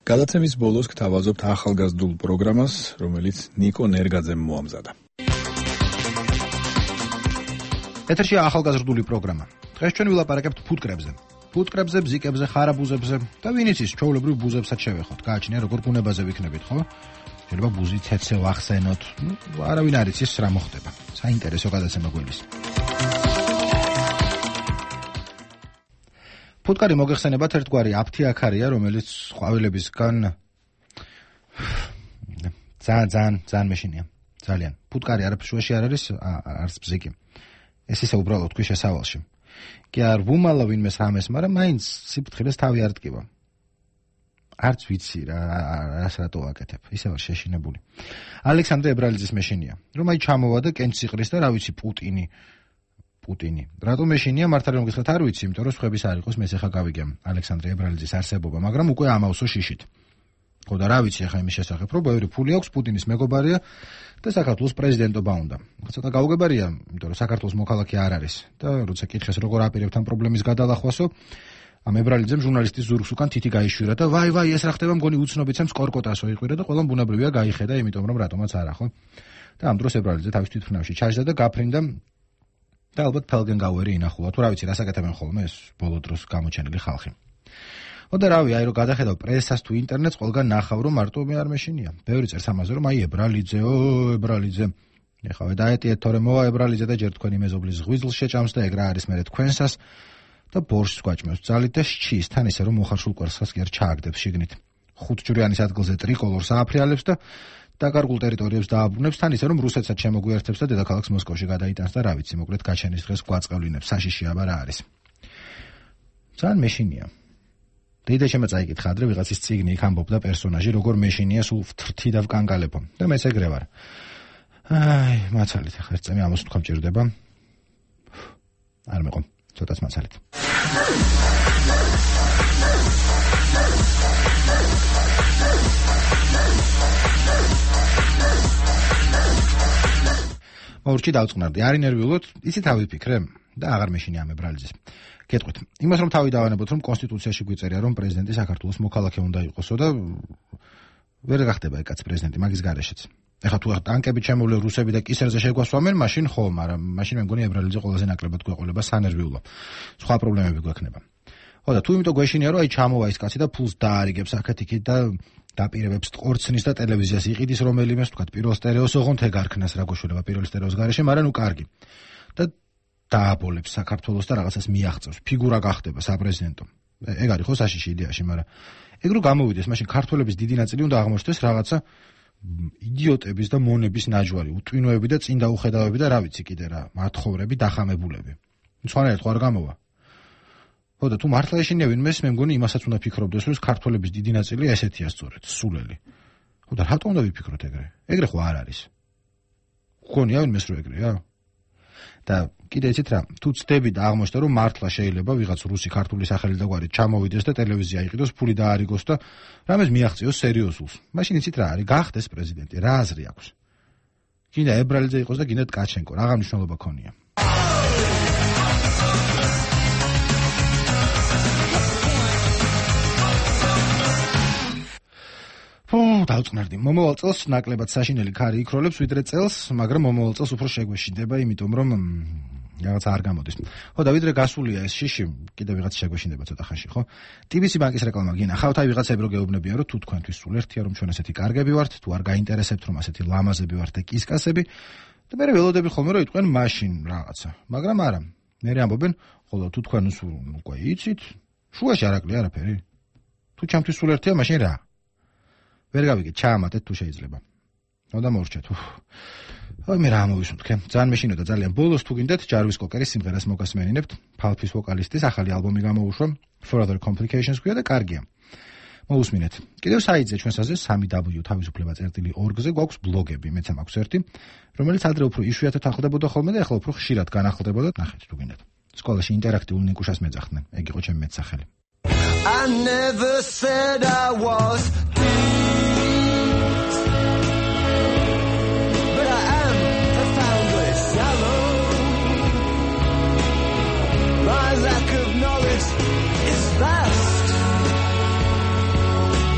გადაცემის ბოლოს გთავაზობთ ახალგაზრდულ პროგრამას, რომელიც ნიკო ნერგაძემ მოამზადა. ეთერში ახალგაზრდული პროგრამა. დღეს ჩვენ ვილაპარაკებთ ფუტკრებზე. ფუტკრებზე, ბზიკებზე, ხარაბუზებზე და ვინ იცის, ჩვეულებრივ ბუზებსაც შევეხოთ. გააჩნია როგორ ბუნებაზე ვიქნებით, ხო? შეიძლება ბუზი ცეცე ვახსენოთ. არავინ არ იცის რა მოხდება. საინტერესო გადაცემა გველის. ფუტკარი მოგეხსენებათ ერთგვარი აფთიაქარია, რომელიც ყვავილებისგან ძალიან მეშინია. ძალიან. ფუტკარი არაფშუაში არ არის, არც ბზიკი. ეს ისე უბრალოდ თქვი შესავალში. კი არ ვუმალა ვინმეს რამეს, მაგრამ მაინც სიფრთხილეს თავი არ ტკივა. არც ვიცი რას რატო აკეთებ. ისე ვარ შეშინებული. ალექსანდრე ებრალიძის მეშინია. რომ აი ჩამოვა და კენჭს იყრის და რა ვიცი პუტინი. რატო მეშინია მართალი რომ გითხრათ არ ვიცი, იმიტომ რომ სხვების არ იყოს, მე ახლა გავიგე ალექსანდრე ებრალიძის არსებობა, მაგრამ უკვე ამავსო შიშით. ხო და რა ვიცი ახლა იმის შესახებ, რომ ბევრი ფული აქვს, პუტინის მეგობარია და საქართველოს პრეზიდენტობა უნდა. ცოტა გაუგებარია, იმიტომ რომ საქართველოს მოქალაქე არ არის და როცა კითხეს როგორ აპირებთ ამ პრობლემის გადალახვასო, ამ ებრალიძემ ჟურნალისტის ზურგს უკან თითი გაიშვირა და ვაი ეს რა ხდება, მგონი უცნობიცემს კორკოტასო იყვირა და ყველამ ბუნებრივია გაიხედა, იმიტომ რომ რატომაც არა, ხო? და ამ დროს ებრალიძე თავის თვითმფრინავში ჩაჯდა და გაფრინდა და ალბათ ფელგენგაუერი ინახულა, თუ რა ვიცი, რას აკეთებენ ხოლმე ეს ბოლო დროს გამოჩენილი ხალხი. და რავი, აი რომ გადახედავ პრესას თუ ინტერნეტს, ყველგან ნახავ რომ მარტო მე არ მეშინია. ბევრი წერს ამაზე რომ აი ებრალიძე. ეხავე დაეტიეთ თორე მოვა ებრალიძე და ჯერ თქვენი მეზობლის ღვიძლს შეჭამს და ეგ რა არის მერე თქვენსას და ბორშს გვაჭმევს ძალით და შჩის თან ისე რომ მოხარშულ კვერცხას კი არ ჩააგდებს შიგნით. 5 ჯვრიანის ადგილზე ტრიკოლორს ააფრიალებს და დაკარგულ ტერიტორიებს დააბრუნებს თან ისე რომ რუსეთსაც შემოგვიერთებს და დედაქალაქს მოსკოვში გადაიტანს და რა ვიცი, მოკლედ გაჩენის დღეს გვაწყევლინებს, საშიში აბა რა არის. ძალიან მეშინია. დედა შემაწაიკითხა ადრე ვიღაცის წიგნი იქ ამბობდა პერსონაჟი როგორ მეშინია სულ ვთრთი და ვკანგალებო და მეც ეგრე ვარ. აი, მაცალით ახლა ერთ წამი ამას თქვა მჭირდება. არ მეყო, ცოტაც მაცალით. მორჩი დავწყნარდი, არ ინერვიულოთ, იცით თავი ვფიქრე და აღარ მეშინია ამ ებრალიძეს. გეტყვით, იმას რომ თავი დავანებოთ, რომ კონსტიტუციაში გვიწერია, რომ პრეზიდენტი საქართველოს მოქალაქე უნდა იყოსო და ვერ გახდება ეკაც პრეზიდენტი მაგის გარეშეც. ეხლა თუ ტანკებით შემოვლე რუსები და კისერზე შეგვასვამენ, მაშინ ხო, მაგრამ მაშინ მე მგონი ებრალიძე ყველაზე ნაკლებად გვეყოლება სანერვიულო. სხვა პრობლემები გვექნება. ხო და თუ იმიტომ გვეშინია, რომ აი ჩამოვა ის კაცი და ფულს დაარიგებს აქეთ-იქით და დაპირებებს ყორცნის და ტელევიზიას იყიდის რომელიმეს, თქვა პირველ სტერეოს ოღონდ ეგ არქნას რა გოშურება პირველ სტერეოს გარეშე, მაგრამ ნუ კარგი. და დააბოლებს საქართველოს და რაღაცას მიაღწევს, ფიგურა გახდება საპრეზიდენტო. ეგ არის ხო საშიში იდეაში, მაგრამ ეგ რო გამოვიდეს, მაშინ ქართველების დიდი ნაწილი უნდა აღმოჩნდეს რაღაცა იდიოტების და მონების ნაჯვარი, უტვინოები და წინ დაუხედავები და რა ვიცი კიდე რა, მათხოვრები, დახამებულები. სხვანაირად ხო არ გამოვა. ხო და თუ მართლა ეშინია ვინმეს, მე მგონი იმასაც უნდა ფიქრობდეს, რომ ქართველების დიდი ნაწილი ესეთია სწორედ, სულელი. ხო და რატომ უნდა ვიფიქროთ ეგრე? ეგრე ხო არ არის. გქონია ვინმეს რო ეგრეა? და კიდე იცით რა, თუ ცდები და აღმოჩნდა რომ მართლა შეიძლება ვიღაც რუსი ქართული სახელი და გვარი ჩამოვიდეს და ტელევიზია იყიდოს, ფული დაარიგოს და რამეს მიაღწიოს სერიოზულს. მაშინ იცით რა არის, გახდეს პრეზიდენტი, რა აზრი აქვს. გინდა ებრალიძე იყოს და გინდა ტკაჩენკო, რა მნიშვნელობა ქონია. დავწყნარდი. მომავალ წელს ნაკლებად საშინელი ქარი იქროლებს ვიდრე წელს, მაგრამ მომავალ წელს უფრო შეგვეშინდება, იმიტომ რომ რაღაცა არ გამოდის. ხო და ვიდრე გასულია ეს შიში, კიდე ვიღაც შეგვეშინდება ცოტა ხანში, ხო? TBC ბანკის რეკლამა გინახავთ, აი ვიღაცები რო გეუბნებიან, რომ თუ თქვენთვის სულ ერთია, რომ ჩვენ ასეთი კარგები ვართ, თუ არ გაინტერესებთ, რომ ასეთი ლამაზები ვართ და კისკასები, და მე ველოდები ხოლმე რომ იტყვენ მაშინ რაღაცა. მაგრამ არა. მე ამბობენ, ხოლო თუ თქვენ სულ უკვე იცით, შუაში არ აკლია არაფერი. თუ ჩემთვის სულ ერთია, მაშინ რა? ვერ გავიგე, ჩაამატეთ თუ შეიძლება. ნუ და მორჩეთ. აი მე რა მოვისუნთქე. ძალიან მეშინოდა ძალიან. ბოლოს თუ გინდათ ჯარვის კოკერის სიმღერას მოგასმენინებთ. ფალფის ვოკალისტის ახალი ალბომი გამოუშვა. For Other Complications ქვია და კარგია. მოусმინეთ. კიდევ საიტზე ჩვენსაზე 3w.org-ზე გვაქვს ბლოგები, მეც მაქვს ერთი, რომელიც ადრე უფრო იშვიათად ახლდებოდა ხოლმე და ახლა უფრო ხშირად განახლდებოდა. ნახეთ თუ გინდათ. სკოლაში ინტერაქტიულ ნიკუშას მეძახდნენ. ეგ იყო ჩემი მეტსახელი. I never said I was